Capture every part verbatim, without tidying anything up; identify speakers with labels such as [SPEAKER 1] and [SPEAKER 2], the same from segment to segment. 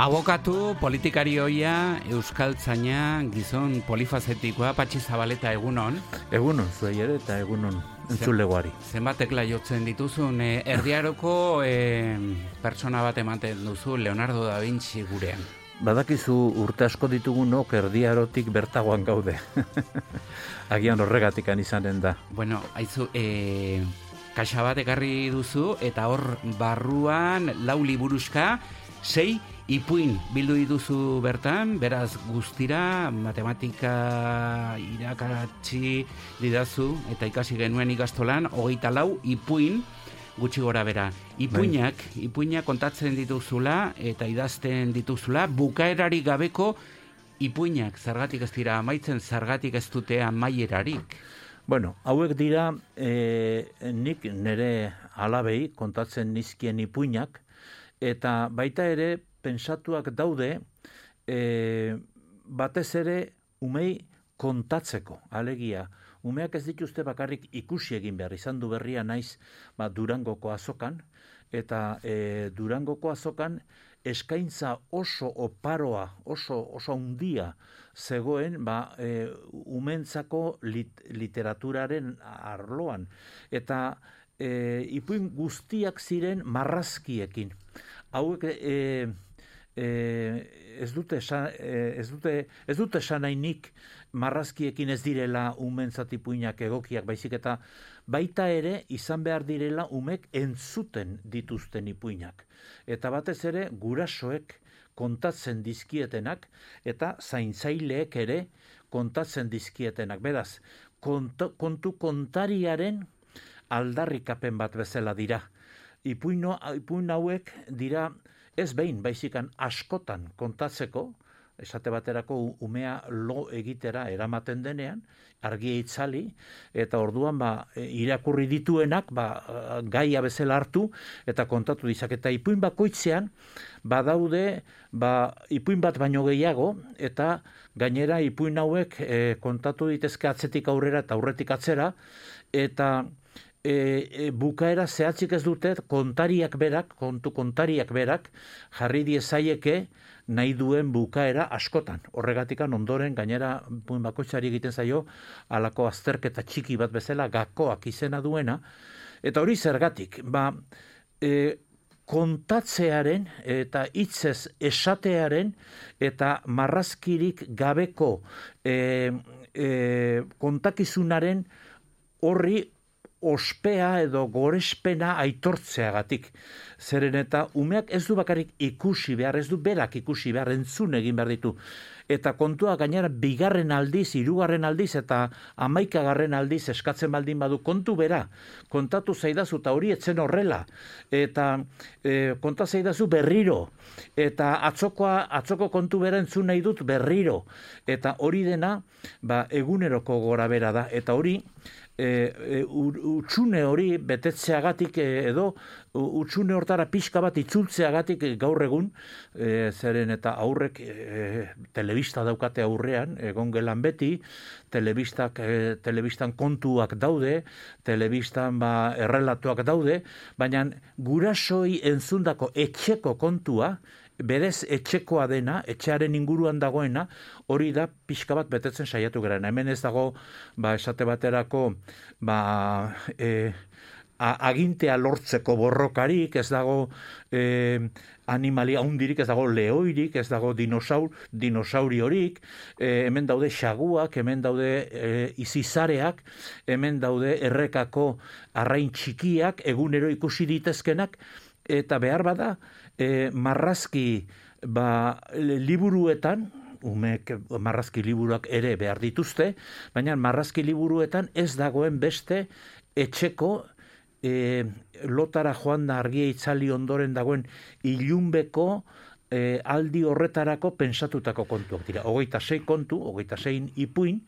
[SPEAKER 1] Abokatu, politikari hoia, euskaltzaina, gizon polifazetikoa, Patxi Zabaleta, egunon.
[SPEAKER 2] Egunon, zuei ere eta egunon entzulegoari.
[SPEAKER 1] Zenbatekla jotzen dituzun, eh, erdiaroko eh, pertsona bat ematen duzu, Leonardo da Vinci gurean.
[SPEAKER 2] Badakizu urte asko ditugunok erdiarotik bertagoan gaude. Agian horregatikan izanen da.
[SPEAKER 1] Bueno, haizu, eh, kaxa bat ekarri duzu, eta hor barruan lau liburuska, sei ipuin bildu dituzu bertan, beraz guztira matematika irakatsi didazu eta ikasi genuen ikastolan, hogeita lau ipuin gutxi gora bera. Ipuinak, ipuinak kontatzen dituzula eta idazten dituzula, bukaerarik gabeko ipuinak, zergatik ez dira amaitzen, zergatik ez dute amaierarik.
[SPEAKER 2] Bueno, hauek dira e, nik nire alabei kontatzen nizkien ipuinak, eta baita ere pentsatuak daude e, batez ere umei kontatzeko, alegia. Umeak ez dituzte bakarrik ikusi egin behar, izan du berria naiz ba, Durangoko azokan, eta e, Durangoko azokan eskaintza oso oparoa, oso oso handia zegoen ba, e, umentzako lit, literaturaren arloan. Eta e, ipuin guztiak ziren marrazkiekin. Hauek e, e, ez dute esan, e, ez dute ez dute esan nahi nik marrazkiekin ez direla umentzat ipuinak egokiak, baizik eta baita ere izan behar direla umek entzuten dituzten ipuinak. Eta batez ere gurasoek kontatzen dizkietenak eta zaintzaileek ere kontatzen dizkietenak. Beraz, kontu, kontu kontariaren aldarrikapen bat bezala dira. Ipuino, ipuin hauek dira ez behin, baizikan askotan kontatzeko, esate baterako umea lo egitera eramaten denean, argia itzali, eta orduan ba, irakurri dituenak ba, gaia bezala hartu, eta kontatu dizak. Eta ipuin bakoitzean, badaude ba, ipuin bat baino gehiago, eta gainera ipuin hauek e, kontatu ditezke atzetik aurrera eta aurretik atzera, eta E, e, bukaera zehatzik ez dute kontariak berak, kontu kontariak berak, jarri diezaieke nahi duen bukaera askotan. Horregatikan ondoren gainera buin bakoitzari egiten zaio halako azterketa txiki bat bezala gakoak izena duena. Eta hori zergatik, ba, e, kontatzearen eta hitzez esatearen eta marrazkirik gabeko e, e, kontakizunaren horri ospea edo gorespena aitortzeagatik. Zeren eta umeak ez du bakarrik ikusi behar, ez du berak ikusi behar, entzun egin behar ditu. Eta kontua gainera bigarren aldiz, hirugarren aldiz eta hamaikagarren aldiz eskatzen baldin badu kontu bera. Kontatu zaidazu eta hori etzen horrela. Eta e, konta zaidazu berriro. Eta atzokoa, atzoko kontu bera entzun nahi dut berriro. Eta hori dena ba, eguneroko gora bera da. Eta hori E, e, utxune hori betetzeagatik edo utxune hortara pixka bat itzultzeagatik gaur egun e, zeren eta aurrek e, telebista daukate aurrean, egon gelan beti, telebistak, e, telebistan kontuak daude, telebistan ba, errelatuak daude, baina gurasoi entzundako etxeko kontua, berez etxekoa dena, etxearen inguruan dagoena, hori da pixka bat betetzen saiatu garen. Hemen ez dago, ba, esate baterako, ba, e, agintea lortzeko borrokarik, ez dago e, animalia hundirik, ez dago lehoirik, ez dago dinosaur, dinosauriorik, e, hemen daude xaguak, hemen daude e, izizareak, hemen daude errekako arrain txikiak, egunero ikusi ditezkenak, eta behar bada, e, marrazki ba, liburuetan, umek marrazki liburuak ere behar dituzte, baina marrazki liburuetan ez dagoen beste etxeko e, lotara joan da argia itzali ondoren dagoen ilunbeko e, aldi horretarako pensatutako kontuak dira. Hogeita sei kontu, hogeita sei ipuin,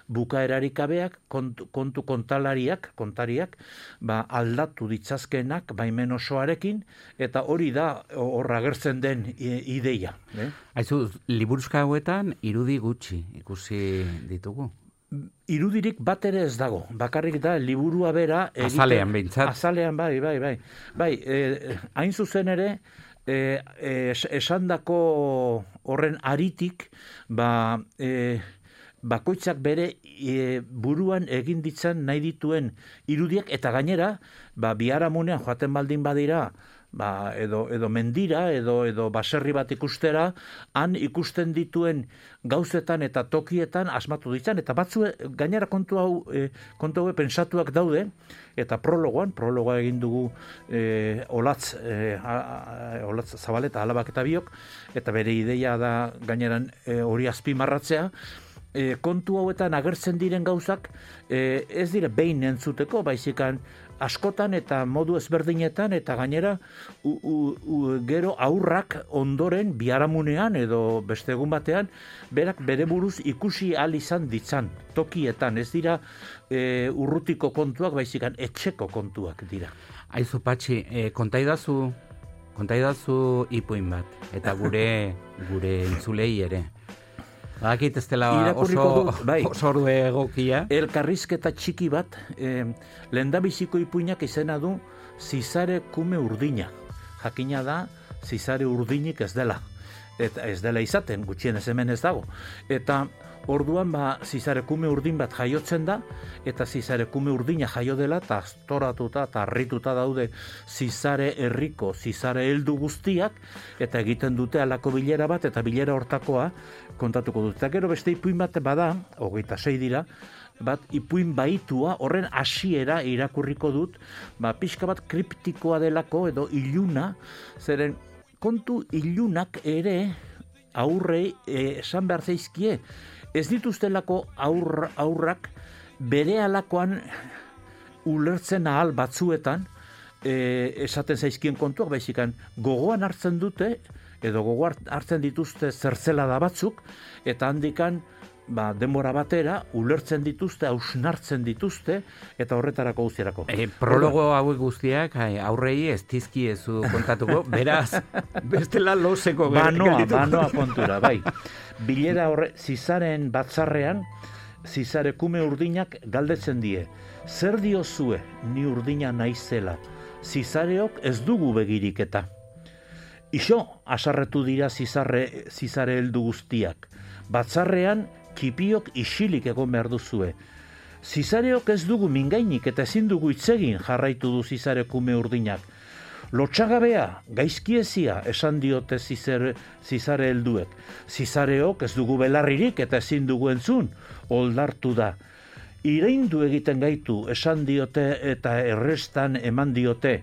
[SPEAKER 2] bukaerarik gabeak, kontu, kontu kontalariak, kontariak, ba, aldatu ditzazkenak baimen osoarekin, eta hori da horra agertzen den ideia. Eh?
[SPEAKER 1] Aizu, liburuzka hauetan irudi gutxi ikusi ditugu.
[SPEAKER 2] Irudirik bat ere ez dago, bakarrik da liburua bera egiten,
[SPEAKER 1] azalean behintzat.
[SPEAKER 2] Azalean bai, bai, bai. Bai, eh, hain zuzen ere e, e, esandako horren aritik, ba, e, bakoitzak bere e, buruan egin ditzan nahi dituen irudiak, eta gainera, ba, biharamunean joaten baldin badira, ba, edo, edo mendira, edo, edo baserri bat ikustera, han ikusten dituen gauzetan eta tokietan asmatu ditzan, eta batzu gainera kontu hau, e, kontu hau pensatuak daude, eta prologoan, prologoa egin dugu e, olatz, e, a, a, olatz Zabaleta alabak eta biok, eta bere ideia da gaineran e, hori azpimarratzea, e, kontu hauetan agertzen diren gauzak e, ez dire behin entzuteko, baizikan askotan eta modu ezberdinetan, eta gainera u, u, u, gero aurrak ondoren biharamunean edo beste egun batean berak bere buruz ikusi ahal izan ditzan tokietan, ez dira e, urrutiko kontuak, baizikan etxeko kontuak dira.
[SPEAKER 1] Aizu Patxi, e, kontaidazu kontaidazu ipuin bat, eta gure gure entzulei ere. Bakit ez dela oso,
[SPEAKER 2] bai.
[SPEAKER 1] oso ordu egokia.
[SPEAKER 2] Elkarrizketa txiki bat, eh, lehendabiziko ipuinak izena du Zizare kume urdina. Jakina da, Zizare urdinik ez dela. Eta ez dela izaten, gutxienez hemen ez dago. Eta orduan ba, Zizare kume urdin bat jaiotzen da, eta Zizare kume urdina jaio dela, eta astoratuta eta harrituta daude Zizare herriko, Zizare heldu guztiak, eta egiten dute alako bilera bat, eta bilera hortakoa kontatuko dut. Eta gero beste ipuin bat bada, hogeita sei dira, bat ipuin baitua, horren hasiera irakurriko dut, ba, pixka bat kriptikoa delako, edo iluna, zeren kontu ilunak ere aurrei eh, esan behar zaizkie, ez dituztelako aur, aurrak bere alakoan ulertzen ahal batzuetan e, esaten zaizkien kontuak, baizikan gogoan hartzen dute, edo gogoan hartzen dituzte zertzelada batzuk, eta handikan ba, denbora batera ulertzen dituzte, hausnartzen dituzte, eta horretarako guztiarako.
[SPEAKER 1] E, prologo hauek guztiak aurrei ez dizkiezu kontatuko, beraz, bestela loseko
[SPEAKER 2] banoa, banoa kontura, bai. Bilera horre, Zizaren batzarrean, Zizare kume urdinak galdetzen die. Zer diozue ni urdina naizela? Zizareok ez dugu begirik eta. Ixo, asarretu dira Zizare, Zizare heldu guztiak. Batzarrean, kipiok isilik egon behar duzue. Zizareok ez dugu mingainik eta ezin dugu itzegin, jarraitu du Zizare kume urdinak. Lotxagabea, gaizkiezia, esan diote Zizare, Zizare helduek. Zizareok ez dugu belarririk eta ezin dugu entzun, oldartu da. Ireindu egiten gaitu, esan diote eta errestan eman diote.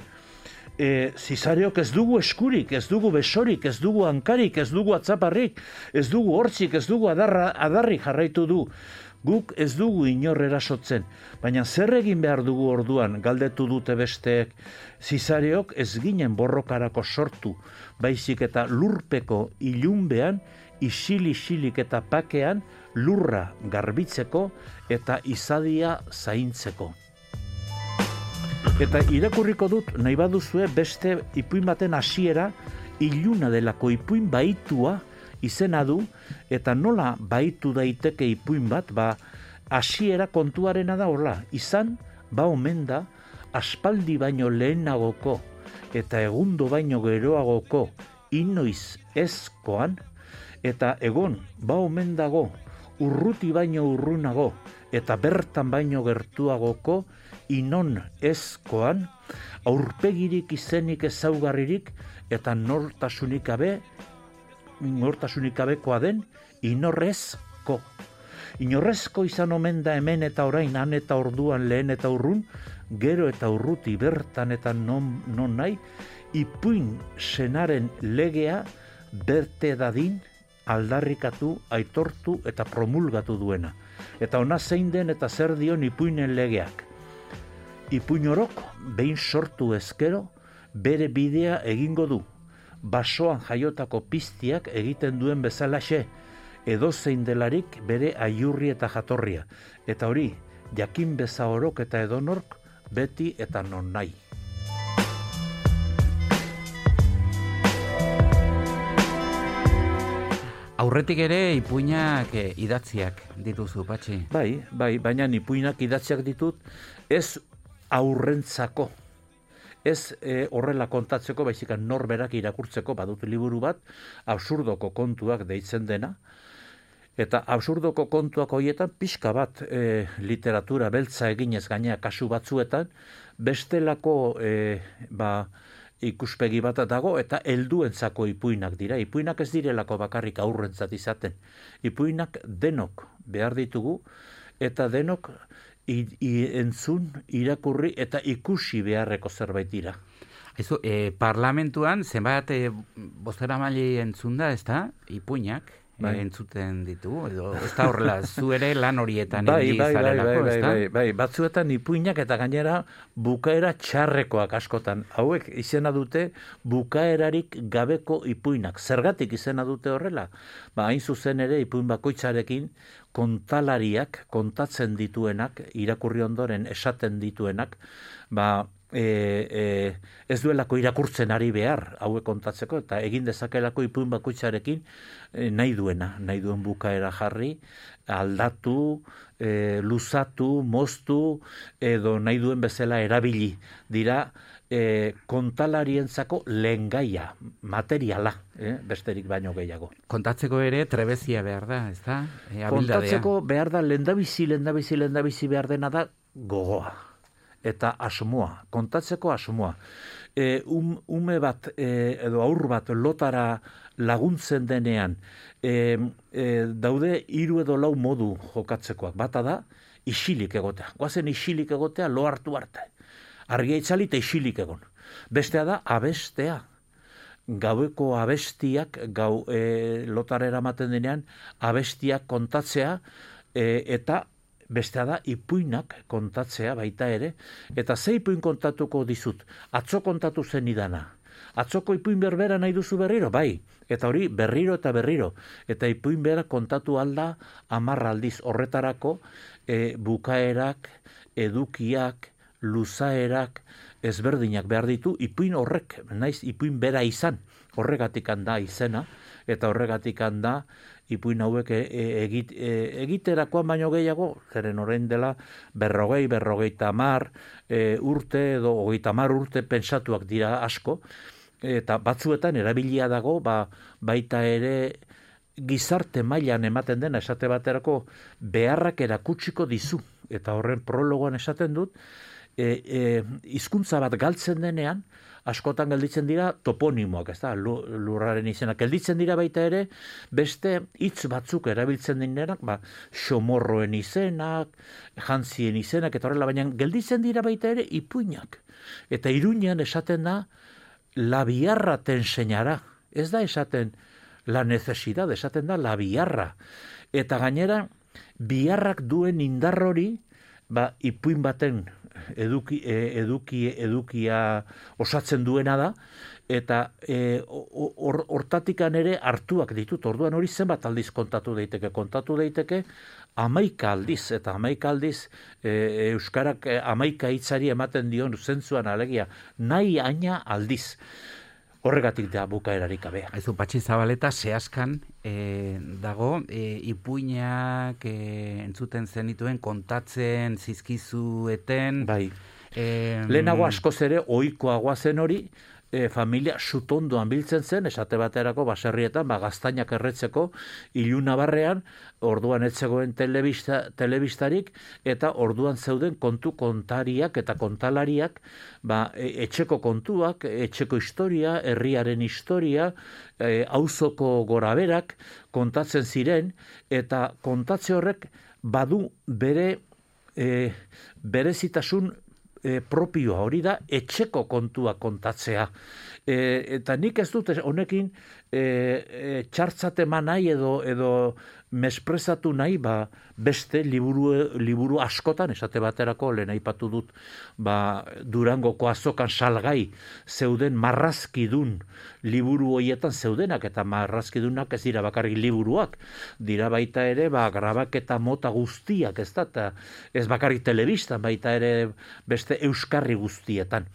[SPEAKER 2] E, Zizareok ez dugu eskurik, ez dugu besorik, ez dugu hankarik, ez dugu atzaparrik, ez dugu hortzik, ez dugu adarra, adarrik jarraitu du. Guk ez dugu inor erasotzen, baina zer egin behar dugu orduan, galdetu dute besteek. Zizareok ez ginen borrokarako sortu, baizik eta lurpeko ilunbean, isil-isilik eta pakean, lurra garbitzeko eta izadia zaintzeko. Eta irakurriko dut, nahi baduzue beste ipuin baten hasiera, iluna delako ipuin baitua izena du, eta nola baitu daiteke ipuin bat, ba, hasiera kontuarena da horla, izan, ba omen da, aspaldi baino lehenagoko, eta egundo baino geroagoko, inoiz ezkoan, eta egon, ba omen dago, urruti baino urrunago, eta bertan baino gertuagoko, inon ezkoan, aurpegirik izenik ezaugarririk, eta nortasunik gabe, nortasunik gabekoa den, inorrezko. Inorrezko izan omen da hemen eta orain, han eta orduan lehen eta urrun, gero eta urruti bertan eta non, non nahi, ipuin senaren legea berte dadin aldarrikatu, aitortu eta promulgatu duena. Eta ona zein den eta zer dion ipuinen legeak. Ipuin orok, behin sortu ezkero, bere bidea egingo du. Basoan jaiotako piztiak egiten duen bezalaxe, edozein delarik bere aiurri eta jatorria. Eta hori, jakin beza orok eta edonork, beti eta non nahi.
[SPEAKER 1] Aurretik ere ipuinak eh, idatziak dituzu, Patxi.
[SPEAKER 2] Bai, bai, baina ipuinak idatziak ditut ez aurrentzako, ez e, horrela kontatzeko, baizik norberak irakurtzeko badut liburu bat, absurdoko kontuak deitzen dena, eta absurdoko kontuak horietan pixka bat e, literatura beltza eginez gainea kasu batzuetan, bestelako e, ba, ikuspegi bat dago eta helduentzako ipuinak dira. Ipuinak ez direlako bakarrik aurrentzat izaten. Ipuinak denok behar ditugu eta denok i, i, entzun, irakurri eta ikusi beharreko zerbait dira.
[SPEAKER 1] Ezo, e, parlamentuan zenbat e, bozeramaile entzun da, ez da, ipuinak? Bai. Entzuten ditu, edo ez da horrela, zu ere lan horietan
[SPEAKER 2] bai, bai, bai, bai,
[SPEAKER 1] bai,
[SPEAKER 2] bai, bai, batzuetan ipuinak eta gainera bukaera txarrekoak askotan. Hauek izena dute bukaerarik gabeko ipuinak. Zergatik izena dute horrela? Ba, hain zuzen ere ipuin bakoitzarekin kontalariak, kontatzen dituenak, irakurri ondoren esaten dituenak, ba, E, e, ez duelako irakurtzen ari behar hauek kontatzeko, eta egin dezakelako ipuin bakoitzarekin e, nahi duena, nahi duen bukaera jarri, aldatu, e, luzatu, moztu, edo nahi duen bezala erabili dira e, kontalarientzako lehengaia, materiala, e, besterik baino gehiago.
[SPEAKER 1] Kontatzeko ere trebezia behar da, ez da? E,
[SPEAKER 2] Kontatzeko behar da, lehendabizi, lehendabizi, lehendabizi behar dena da gogoa. Eta asmoa, kontatzeko asmoa. E, um, ume bat e, edo aur bat lotara laguntzen denean, e, e, daude hiru edo lau modu jokatzekoak. Bata da, isilik egotea. Goazen isilik egotea lo hartu arte. Argia itzali eta isilik egon. Bestea da, abestea. Gaueko abestiak, gau e, lotara eramaten denean, abestiak kontatzea, e, eta bestea da, ipuinak kontatzea baita ere, eta ze ipuin kontatuko dizut? Atzo kontatu zen idana. Atzoko ipuin berbera nahi duzu berriro? Bai, eta hori berriro eta berriro. Eta ipuin bera kontatu alda amarra aldiz. Horretarako e, bukaerak, edukiak, luzaerak, ezberdinak behar ditu, ipuin horrek, naiz ipuin bera izan, horregatik handa izena, eta horregatik handa ipuin hauek egit, egiterakoan baino gehiago, zeren orain dela berrogei, berrogeita hamar e, urte edo hogeita hamar urte pentsatuak dira asko, eta batzuetan erabilia dago, ba, baita ere gizarte mailan ematen dena, esate baterako beharrak erakutsiko dizu, eta horren prologoan esaten dut, e, e, hizkuntza bat galtzen denean, askotan gelditzen dira toponimoak, ez da, lurraren izenak. Gelditzen dira baita ere, beste hitz batzuk erabiltzen dinenak, ba, xomorroen izenak, jantzien izenak, eta horrela, baina gelditzen dira baita ere ipuinak. Eta Iruñean esaten da, la biarra te enseñará. Ez da esaten la necesidad, esaten da la biarra. Eta gainera, biarrak duen indar hori, ba, ipuin baten eduki, eduki, edukia osatzen duena da, eta hortatikan or, ere hartuak ditut, orduan hori zenbat aldiz kontatu daiteke, kontatu daiteke hamaika aldiz, eta hamaika aldiz e, Euskarak hamaika hitzari ematen dion zentzuan alegia, nahi aina aldiz. Horregatik da bukaerarik gabea.
[SPEAKER 1] Aizu, Patxi Zabaleta, zehazkan e, dago, e, ipuinak e, entzuten zenituen, kontatzen, zizkizueten.
[SPEAKER 2] Bai.
[SPEAKER 1] E,
[SPEAKER 2] Lehenago askoz ere, ohikoagoa zen hori, e, familia sutondoan biltzen zen, esate baterako baserrietan, ba, gaztainak erretzeko, ilunabarrean, orduan etzegoen telebista, telebistarik, eta orduan zeuden kontu kontariak eta kontalariak, ba, etxeko kontuak, etxeko historia, herriaren historia, e, auzoko goraberak kontatzen ziren, eta kontatze horrek badu bere e, berezitasun e, propioa, hori da etxeko kontua kontatzea. E, eta nik ez dut honekin e, e, txartzat eman nahi edo, edo mesprezatu nahi, ba, beste liburu, liburu askotan, esate baterako, lehen aipatu dut, ba, Durangoko azokan salgai zeuden marrazkidun liburu hoietan zeudenak, eta marrazkidunak ez dira bakarrik liburuak, dira baita ere, ba, grabaketa mota guztiak, ez da, eta ez bakarrik telebistan, baita ere beste euskarri guztietan.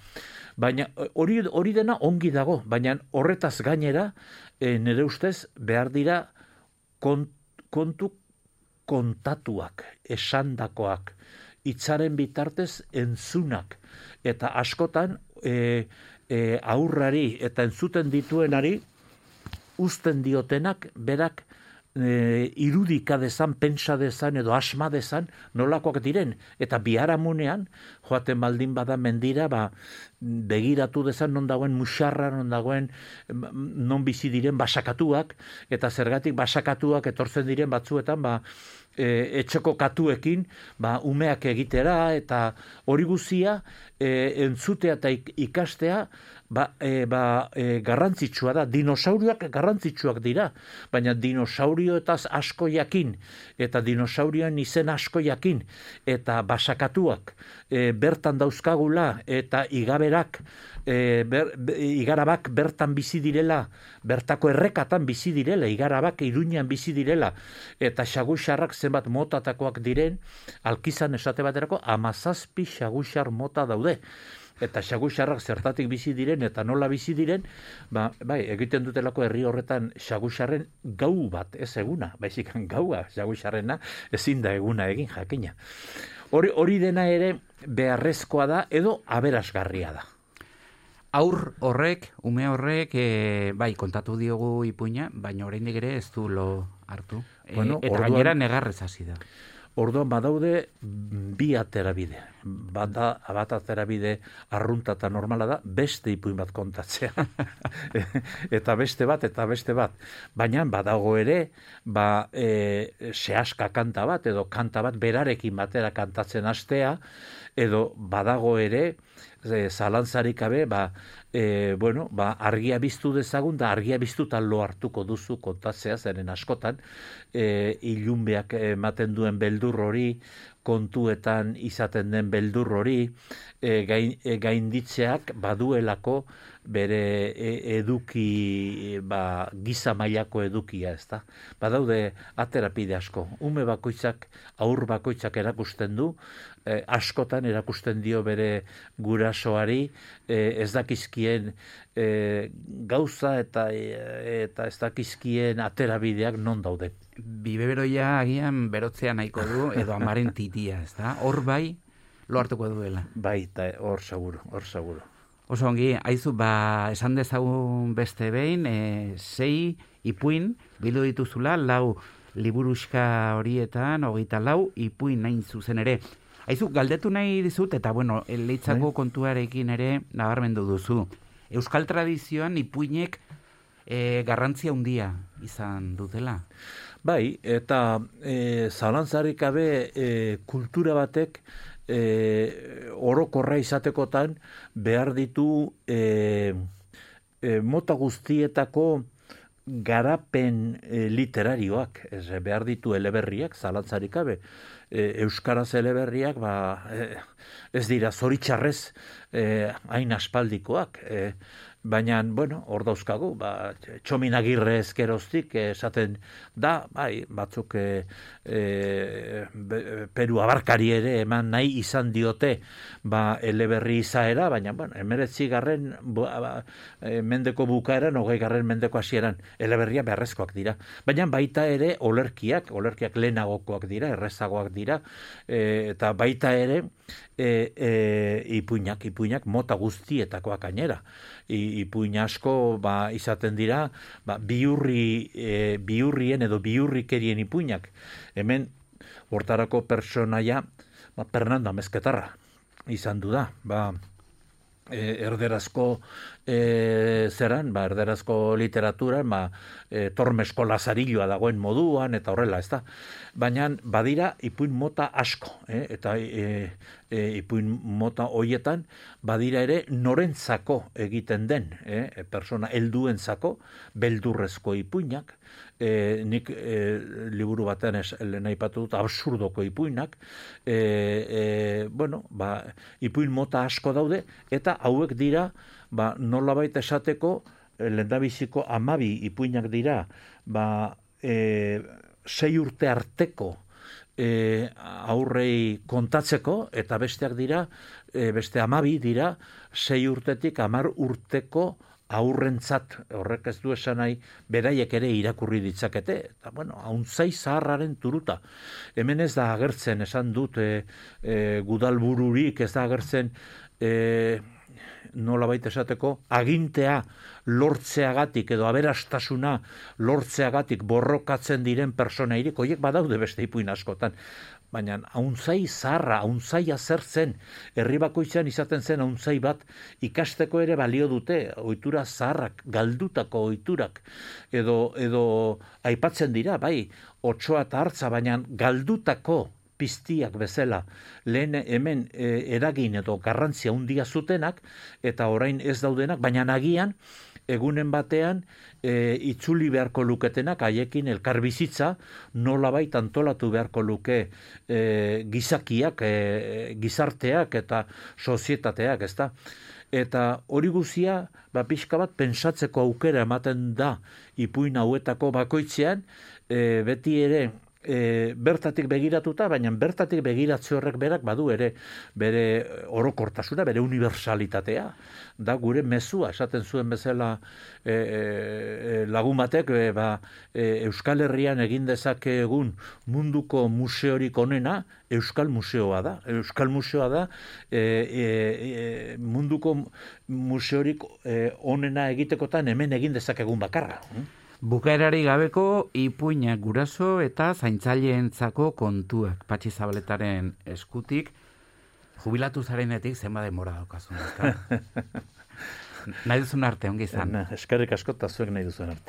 [SPEAKER 2] Baina hori, hori dena ongi dago, baina horretaz gainera, e, nire ustez, behar dira kont, kontu kontatuak, esandakoak, hitzaren bitartez entzunak, eta askotan e, e, aurrari eta entzuten dituenari uzten diotenak berak e, irudika dezan, pentsa dezan edo asma dezan nolakoak diren. Eta biharamunean, joaten baldin bada mendira, ba, begiratu dezan non dagoen musarra, non dagoen non bizi diren basakatuak, eta zergatik basakatuak etortzen diren batzuetan, ba, e, etxeko katuekin, ba, umeak egitera, eta hori guzia e, entzutea eta ikastea, ba, e, ba, e, garrantzitsua da. Dinosaurioak garrantzitsuak dira, baina dinosaurioetaz asko jakin, eta dinosaurioen izen asko jakin, eta basakatuak e, bertan dauzkagula, eta igaberak, e, ber, igarabak bertan bizi direla, bertako errekatan bizi direla, igarabak Iruñan bizi direla, eta xaguxarrak zenbat motatakoak diren, alkizan esate baterako, amazazpi xaguxar mota daude. Eta xaguxarrak zertatik bizi diren eta nola bizi diren, ba, bai, egiten dutelako herri horretan xaguxarren gau bat, ez eguna, baizik gaua xaguxarrena ezin da eguna egin jakina. Hori, hori dena ere beharrezkoa da edo aberasgarria da.
[SPEAKER 1] Aur horrek, ume horrek, e, bai, kontatu diogu Ipuina, baina oraindik ere ez du lo hartu.
[SPEAKER 2] Bueno,
[SPEAKER 1] e, eta
[SPEAKER 2] orduan,
[SPEAKER 1] gainera negarrez hasi da.
[SPEAKER 2] Orduan badaude bi aterabide. Bata, bat aterabide arrunta eta normala da, beste ipuin bat kontatzea. Eta beste bat, eta beste bat. Baina badago ere, ba, e, sehaska kanta bat, edo kanta bat berarekin batera kantatzen hastea, edo badago ere, e, zalantzarik gabe, ba, e, bueno, ba, argia biztu dezagun, da argia biztutan lo hartuko duzu kontatzea, zeren askotan, e, ilunbeak ematen duen beldur hori, kontuetan izaten den beldur hori, e, gain, e, gainditzeak baduelako bere e, eduki, ba, giza mailako edukia, ezta. Badaude aterapide asko. Ume bakoitzak, aur bakoitzak erakusten du, e, askotan erakusten dio bere gurasoari, e, ez dakizkien e, gauza eta, e, eta ez dakizkien aterabideak non daude.
[SPEAKER 1] Biberoia agian berotzea nahiko du, edo amaren titia, ez da? Hor bai, lo hartuko duela.
[SPEAKER 2] Bai, eta hor seguro, hor seguro.
[SPEAKER 1] Oso ongi, haizu, ba, esan dezagun beste behin, e, sei ipuin, bildu dituzula, lau liburuxka horietan, hogeita lau, ipuin nahin zuzen ere. Haizu, galdetu nahi dizut, eta bueno, leitzako kontuarekin ere nabarmendu duzu. Euskal tradizioan ipuinek e, garrantzia handia izan dutela.
[SPEAKER 2] Bai, eta e, zalantzarik gabe e, kultura batek e, orokorra izatekotan behar ditu e, e, mota guztietako garapen e, literarioak, ez, behar ditu eleberriak, zalantzarik gabe. E, Euskaraz eleberriak, ba, e, ez dira zoritxarrez e, hain aspaldikoak, e, baina, bueno, hor dauzkagu, ba, Txomin Agirre ezkeroztik esaten da, bai, batzuk e, e, Peru abarkari ere eman nahi izan diote, ba, eleberri izaera, baina, bueno, emeretzi garren ba, e, mendeko bukaeran, hogei garren mendeko hasieran, eleberria beharrezkoak dira. Baina baita ere olerkiak, olerkiak lehenagokoak dira, errezagoak dira, e, eta baita ere e, e, ipuinak, ipuinak mota guztietakoak gainera. I, ipuin asko ba, izaten dira ba, biurri, e, biurrien edo biurrikerien ipuinak. Hemen hortarako personaia ba, Fernando Amezketarra izan du da. Ba, e, erderazko e, zeran, ba, erderazko literaturan, ba, e, Tormesko Lazarilloa dagoen moduan, eta horrela, ez da. Baina badira ipuin mota asko, eh? Eta e, e, ipuin mota hoietan badira ere norentzako egiten den, eh? Persona helduentzako beldurrezko ipuinak, e, nik e, liburu batean ez lehen aipatu dut absurdoko ipuinak, e, e, bueno, ba, ipuin mota asko daude, eta hauek dira, ba, nolabait esateko, lehendabiziko amabi ipuinak dira, ba, e, sei urte arteko e, aurrei kontatzeko, eta besteak dira, e, beste amabi dira, sei urtetik amar urteko aurrentzat, horrek ez du esan nahi, beraiek ere irakurri ditzakete, eta bueno, hauntzai zaharraren turuta. Hemen ez da agertzen, esan dut, e, e, gudalbururik, ez da agertzen, e, nola baita esateko, agintea lortzeagatik edo aberastasuna lortzeagatik borrokatzen diren personairik, horiek badaude beste ipuin askotan. Baina hauntzai zaharra, hauntzai azertzen, herri bakoitzean izaten zen hauntzai bat ikasteko ere balio dute, ohitura zaharrak, galdutako ohiturak, edo, edo aipatzen dira, bai, otsoa eta hartza, baina galdutako piztiak bezala, lehen hemen e, eragin edo garrantzia handia zutenak, eta orain ez daudenak, baina agian, egunen batean, e, itzuli beharko luketenak, haiekin elkarbizitza, nolabait antolatu beharko luke e, gizakiak, e, gizarteak eta sozietateak, ezta? Eta hori guzia, ba, pixka bat, pentsatzeko aukera ematen da ipuin hauetako bakoitzean, e, beti ere, E, bertatik begiratuta, baina bertatik begiratze horrek berak badu ere bere orokortasuna, bere unibertsalitatea, da gure mezua, esaten zuen bezala e, e, lagun batek, e, ba, e, Euskal Herrian egin dezake egun munduko museorik onena, Euskal Museoa da. Euskal Museoa da e, e, e, munduko museorik e, onena egitekotan hemen egin dezakegun bakarra.
[SPEAKER 1] Bukaerari gabeko ipuinak guraso eta zaintzaileentzako kontuak Patxi Zabaletaren eskutik, jubilatu zarenetik zenba denbora daukazun. Nahi duzun arte, ongi izan.
[SPEAKER 2] Eskerrik asko eta zuek nahi duzun arte.